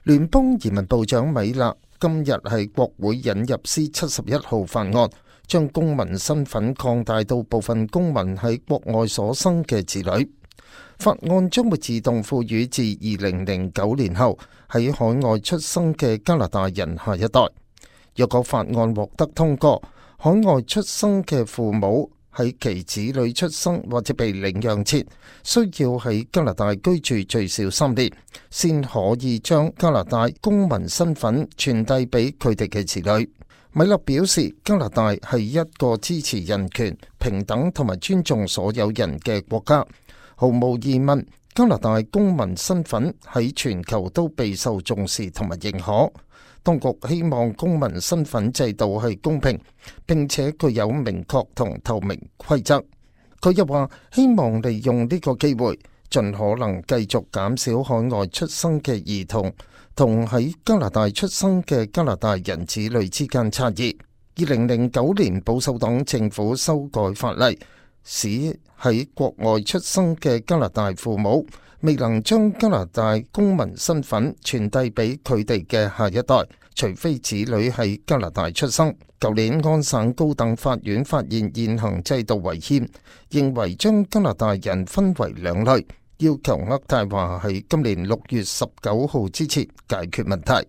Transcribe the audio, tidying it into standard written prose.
聯邦移民部長米勒今日喺國會引入 C-71 號法案，將公民身份擴大到部分公民喺國外所生嘅子女。法案將會自動賦予自2009年後喺海外出生嘅加拿大人下一代。若果法案獲得通過，海外出生嘅父母喺其子女出生或者被領養前，需要喺加拿大居住最少3年，先可以將加拿大公民身份傳遞俾佢哋嘅子女。米勒表示，加拿大係一個支持人權、平等同埋尊重所有人嘅國家。毫無疑問，加拿大公民身份喺全球都備受重視同埋認可。當局希望公民身份制度係公平，並且具有明確同透明規則。佢又話，希望利用呢個機會，盡可能繼續減少海外出生嘅兒童同喺加拿大出生嘅加拿大人子女之間差異。2009年保守黨政府修改法例，使喺國外出生嘅加拿大父母未能將加拿大公民身份傳遞俾佢哋嘅下一代，除非子女喺加拿大出生。舊年安省高等法院發現現行制度違憲，認為將加拿大人分為2類，要求渥太華喺今年6月19號之前解決問題。